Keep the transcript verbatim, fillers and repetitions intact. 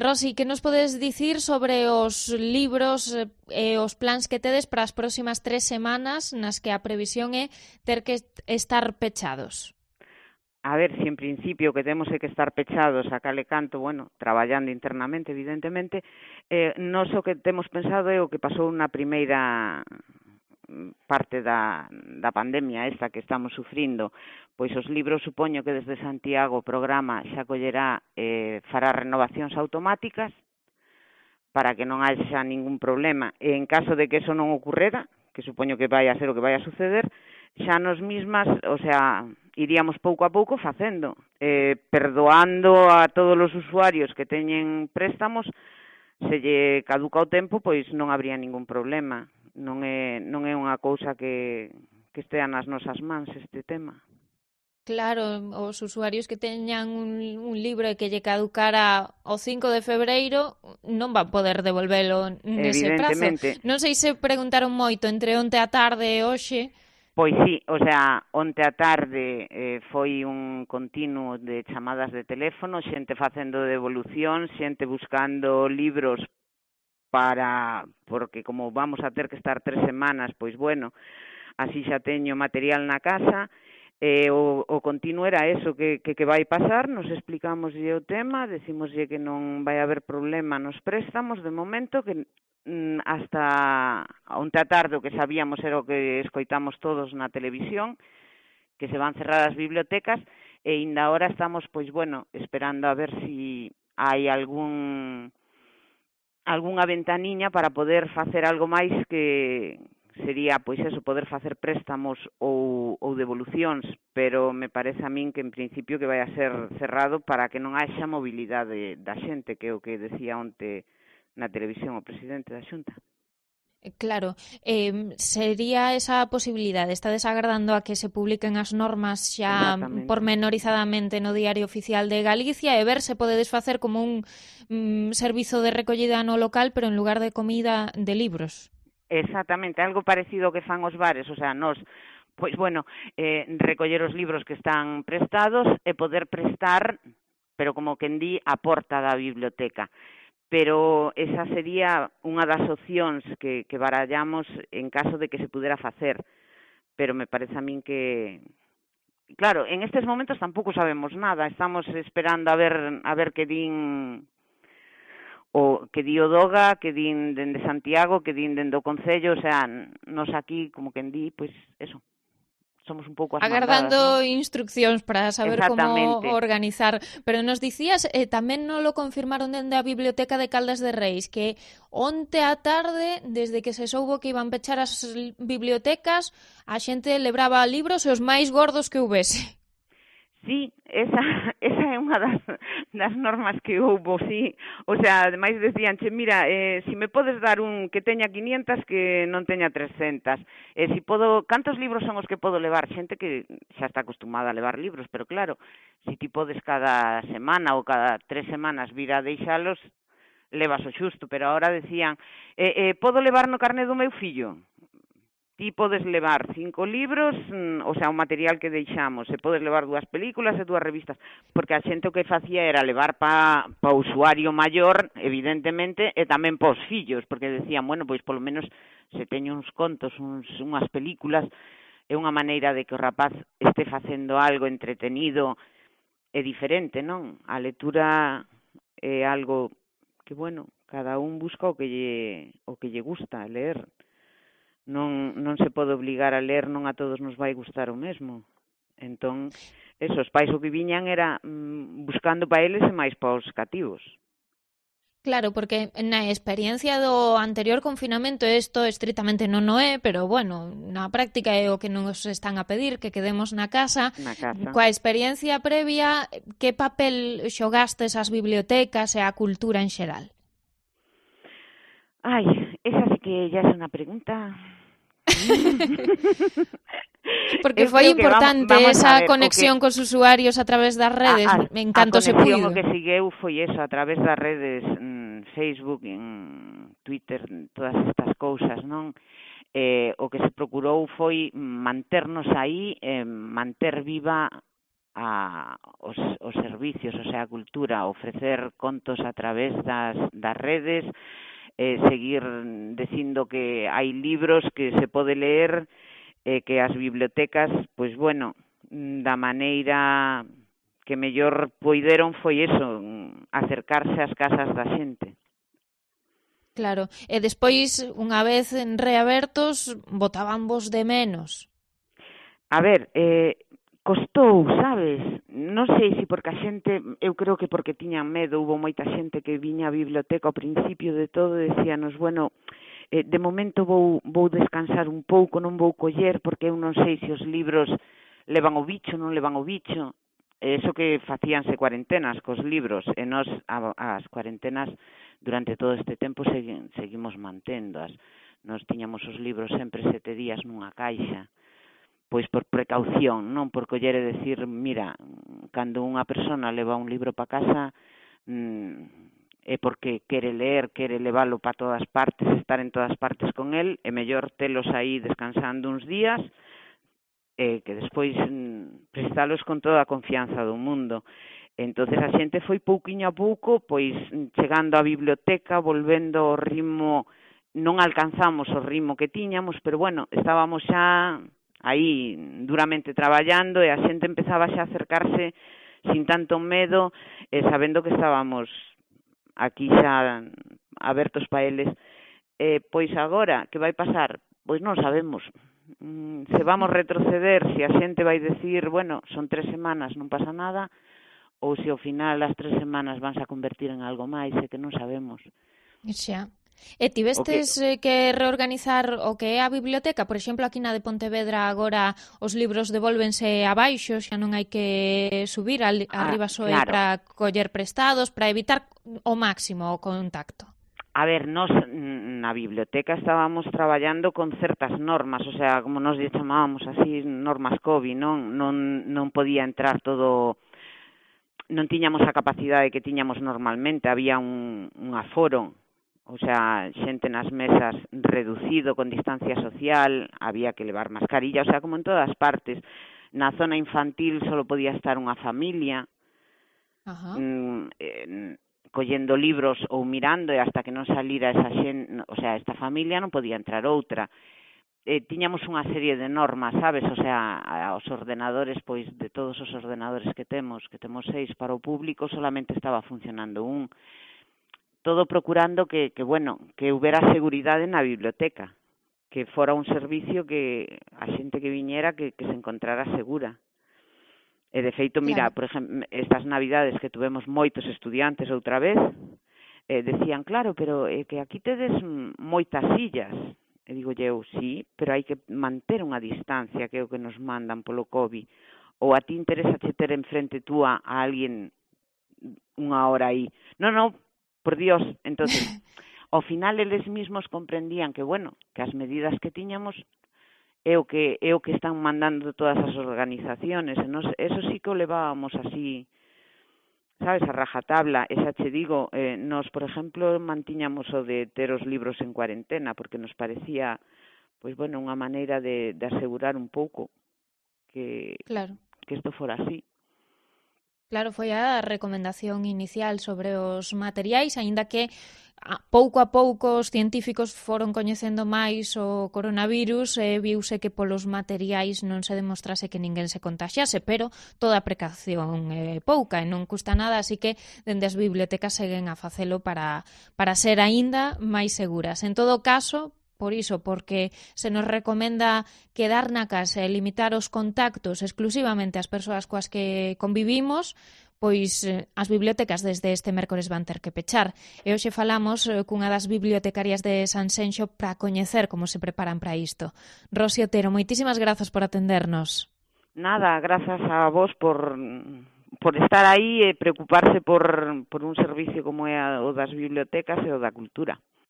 Rosi, que nos podes dicir sobre os libros e os plans que tedes para as próximas tres semanas nas que a previsión é ter que estar pechados? A ver, si en principio que temos que estar pechados a cale canto, bueno, traballando internamente, evidentemente, eh, nos o que temos pensado é o que pasou na primeira parte da, da pandemia esta que estamos sufrindo. Pois os libros, supoño que desde Santiago o programa xa collerá, eh, fará renovacións automáticas para que non haxa ningún problema. E en caso de que eso non ocorrera, que supoño que vai a ser o que vai a suceder, xa nos mismas, o sea, iríamos pouco a pouco facendo, eh, perdoando a todos os usuarios que teñen préstamos, se lle caduca o tempo, pois non habría ningún problema. Non é, non é unha cousa que, que estea nas nosas mans este tema. Claro, os usuarios que teñan un, un libro e que lle caducara o cinco de febreiro non van poder devolvelo nese prazo. Non sei se preguntaron moito entre onte a tarde e hoxe. Pois sí, o sea, onte a tarde eh, foi un continuo de chamadas de teléfono, xente facendo devolución, xente buscando libros para, porque como vamos a ter que estar tres semanas, pois bueno, así xa teño material na casa, eh, o, o continuo era eso, que, que, que vai pasar, nos explicamoslle o tema, decimoslle que non vai haber problema nos préstamos, de momento, que hasta onte a tarde o que sabíamos era o que escoitamos todos na televisión, que se van cerrar as bibliotecas, e ainda ahora estamos, pois bueno, esperando a ver si hai algún algunha ventaniña para poder facer algo máis, que sería, pois eso, poder facer préstamos ou, ou devolucións, pero me parece a min que en principio que vai a ser cerrado para que non haxa mobilidade da xente, que é o que decía onte na televisión o presidente da Xunta. Claro, eh, sería esa posibilidade, estades agardando a que se publiquen as normas xa pormenorizadamente no Diario Oficial de Galicia e ver se podedes facer como un mm, servizo de recollida no local, pero en lugar de comida, de libros. Exactamente, algo parecido que fan os bares, o sea, nos, pois bueno, eh, recoller os libros que están prestados e poder prestar, pero como quen di, a porta da biblioteca. Pero esa sería unha das opcións que, que barallamos en caso de que se pudera facer. Pero me parece a min que... Claro, en estes momentos tampouco sabemos nada. Estamos esperando a ver a ver que din o que di o Doga, que din dende Santiago, que din dende o Concello. O sea, nos aquí, como quen di, pois eso. Somos un pouco as agardando mandadas, ¿no? Instruccións para saber como organizar. Pero nos dicías, eh, tamén non lo confirmaron dende a Biblioteca de Caldas de Reis, que onte á tarde, desde que se soubo que iban pechar as bibliotecas, a xente lebraba libros e os máis gordos que houbese. Sí, esa, esa é unha das, das normas que houbo, sí. O sea, ademais decíanche, mira, eh, si me podes dar un que teña quinientas que non teña trescentas. Eh, si podo, cantos libros son os que podo levar? Xente que xa está acostumada a levar libros, pero claro, si ti podes cada semana ou cada tres semanas vir a deixalos, levas o xusto. Pero agora decían, eh, eh, podo levar no carné do meu fillo? Ti podes levar cinco libros, o sea, o material que deixamos, e podes levar dúas películas e dúas revistas, porque a xente o que facía era levar pa, pa usuario maior, evidentemente, e tamén pa os fillos, porque decían, bueno, pois polo menos se teño uns contos, uns, unhas películas, é unha maneira de que o rapaz este facendo algo entretenido e diferente, non? A lectura é algo que, bueno, cada un busca o que lle, o que lle gusta ler. Non, non se pode obligar a ler, non a todos nos vai gustar o mesmo. Entón, esos pais o que viñan era mm, buscando para eles e máis para os cativos. Claro, porque na experiencia do anterior confinamento isto estritamente non o é, pero bueno, na práctica é o que nos están a pedir, que quedemos na casa. Na casa. Coa experiencia previa, que papel xogastes as bibliotecas e a cultura en xeral? Ai, esa sí que ya é unha pregunta... Porque foi importante vamos, vamos esa ver, conexión que, cos usuarios a través das redes, a, a, en canto se puido. A conexión o que sigueu foi eso, a través das redes, en Facebook, en Twitter, todas estas cousas, non? Eh, o que se procurou foi manternos aí, eh, manter viva a os, os servicios, o sea, a cultura, ofrecer contos a través das, das redes, eh, seguir dicindo que hai libros que se pode ler, eh, que as bibliotecas, pois bueno, da maneira que mellor poideron foi eso, acercarse ás casas da xente. Claro, e despois, unha vez reabertos, botaban vos de menos. A ver, eh, costou, sabes? Non sei se porque a xente, eu creo que porque tiñan medo, hubo moita xente que viña á biblioteca ao principio de todo e decíanos, bueno, eh, de momento vou, vou descansar un pouco, non vou coller porque eu non sei se os libros levan o bicho, non levan o bicho. Eso que facíanse cuarentenas cos libros, e nós as cuarentenas durante todo este tempo segui, seguimos manténdoas. Nos tiñamos os libros sempre sete días nunha caixa, pois por precaución, non por coller e decir, mira, cando unha persona leva un libro para casa, mmm, é porque quere ler, quere leválo para todas partes, estar en todas partes con el, é mellor telos aí descansando uns días, e que despois mm, prestalos con toda a confianza do mundo. Entonces a xente foi pouquiño a pouco, pois chegando á biblioteca, volvendo ao ritmo, non alcanzamos o ritmo que tiñamos, pero bueno, estábamos xa aí duramente traballando e a xente empezaba xa a acercarse sin tanto medo, e sabendo que estábamos aquí xa abertos para eles. Eh, pois agora, que vai pasar? Pois non sabemos. Se vamos retroceder, se a xente vai decir, bueno, son tres semanas, non pasa nada, ou se ao final as tres semanas vanse a convertir en algo máis, é que non sabemos. Xa. E tivestes que... que reorganizar o que é a biblioteca? Por exemplo, aquí na de Pontevedra agora os libros devólvense abaixo, xa non hai que subir, al, ah, arriba só claro. Para coller prestados, para evitar o máximo o contacto. A ver, nós na biblioteca estábamos traballando con certas normas, o sea, como nos chamábamos así, normas COVID, non non non podía entrar todo, non tiñamos a capacidade que tiñamos normalmente, había un, un aforo, o sea, xente nas mesas reducido, con distancia social, había que levar mascarilla, o sea, como en todas partes. Na zona infantil só podía estar unha familia, Ajá. Mm, eh, collendo libros ou mirando, e hasta que non salira esa xente, o sea, esta familia non podía entrar outra. Eh, tiñamos unha serie de normas, sabes? O sea, os ordenadores, pois de todos os ordenadores que temos, que temos seis para o público, solamente estaba funcionando un. Todo procurando que, que bueno, que houbera seguridade na biblioteca, que fora un servicio que a xente que viñera que, que se encontrara segura. E de feito, mira, claro. Por exemplo, estas navidades que tuvemos moitos estudiantes outra vez, eh, decían, claro, pero eh, que aquí tedes moitas sillas. E digo eu, sí, pero hai que manter unha distancia, que é o que nos mandan polo COVID. Ou a ti interesa che ter enfrente túa a alguén unha hora aí. Non, non, por Dios. Entonces, ao final eles mismos comprendían que, bueno, que as medidas que tiñamos é o que é o que están mandando todas as organizaciones, e nos, eso sí que o levábamos así, sabes, a rajatabla. E xa che digo, eh, nos, por exemplo, mantiñamos o de ter os libros en cuarentena, porque nos parecía, pois bueno, unha maneira de, de asegurar un pouco que, claro. que isto fora así. Claro, foi a recomendación inicial sobre os materiais, aínda que a, pouco a pouco os científicos foron coñecendo máis o coronavirus e viuse que polos materiais non se demostrase que ninguén se contaxiase, pero toda a precaución é pouca e non custa nada, así que dende as bibliotecas seguen a facelo para, para ser aínda máis seguras. En todo caso, por iso, porque se nos recomenda quedar na casa e limitar os contactos exclusivamente ás persoas coas que convivimos, pois as bibliotecas desde este mércores van ter que pechar. E hoxe falamos cunha das bibliotecarias de Sanxenxo para coñecer como se preparan para isto. Rosy Otero, moitísimas grazas por atendernos. Nada, grazas a vos por, por estar aí e preocuparse por, por un servicio como é o das bibliotecas e o da cultura.